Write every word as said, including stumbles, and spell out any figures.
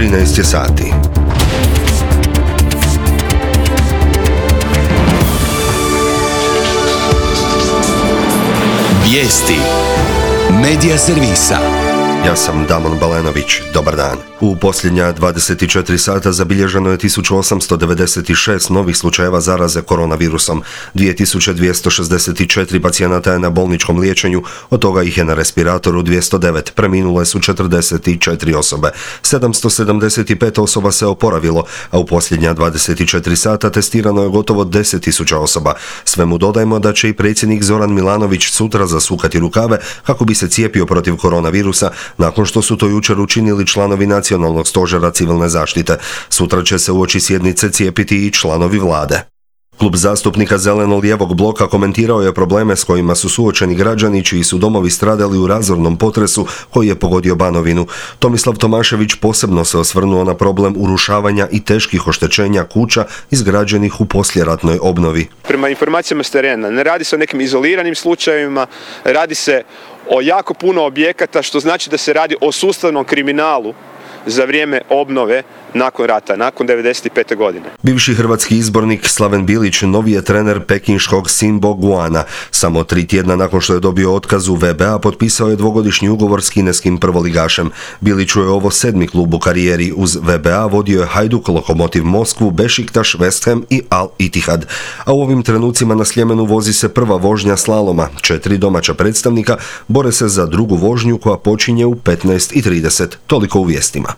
trinaest je sati. Vijesti Medija servisa. Ja sam Damon Balenović. Dobar dan. U posljednja dvadeset četiri sata zabilježeno je tisuću osamsto devedeset šest novih slučajeva zaraze koronavirusom. dvije tisuće dvjesto šezdeset četiri pacijenata je na bolničkom liječenju, od toga ih je na respiratoru dvjesto devet, preminule su četrdeset četiri osobe. sedamsto sedamdeset pet osoba se oporavilo, a u posljednja dvadeset četiri sata testirano je gotovo deset tisuća osoba. Svemu dodajmo da će i predsjednik Zoran Milanović sutra zasukati rukave kako bi se cijepio protiv koronavirusa, nakon što su to jučer učinili članovi Nacionalnog stožera civilne zaštite. Sutra će se uoči sjednice cijepiti i članovi vlade. Klub zastupnika Zeleno-lijevog bloka komentirao je probleme s kojima su suočeni građani čiji su domovi stradali u razornom potresu koji je pogodio Banovinu. Tomislav Tomašević posebno se osvrnuo na problem urušavanja i teških oštećenja kuća izgrađenih u poslijeratnoj obnovi. Prema informacijama s terena, ne radi se o nekim izoliranim slučajevima, radi se o jako puno objekata, što znači da se radi o sustavnom kriminalu za vrijeme obnove nakon rata, nakon devedeset pete godine. Bivši hrvatski izbornik Slaven Bilić novi je trener pekinškog Sinbo Guana. Samo tri tjedna nakon što je dobio otkaz u V B A potpisao je dvogodišnji ugovor s kineskim prvoligašem. Biliću je ovo sedmi klub u karijeri. Uz V B A vodio je Hajduk, Lokomotiv Moskvu, Bešiktaš, West Ham i Al Ittihad. A u ovim trenucima na Sljemenu vozi se prva vožnja slaloma. Četiri domaća predstavnika bore se za drugu vožnju koja počinje u petnaest i trideset. Toliko u vijestima.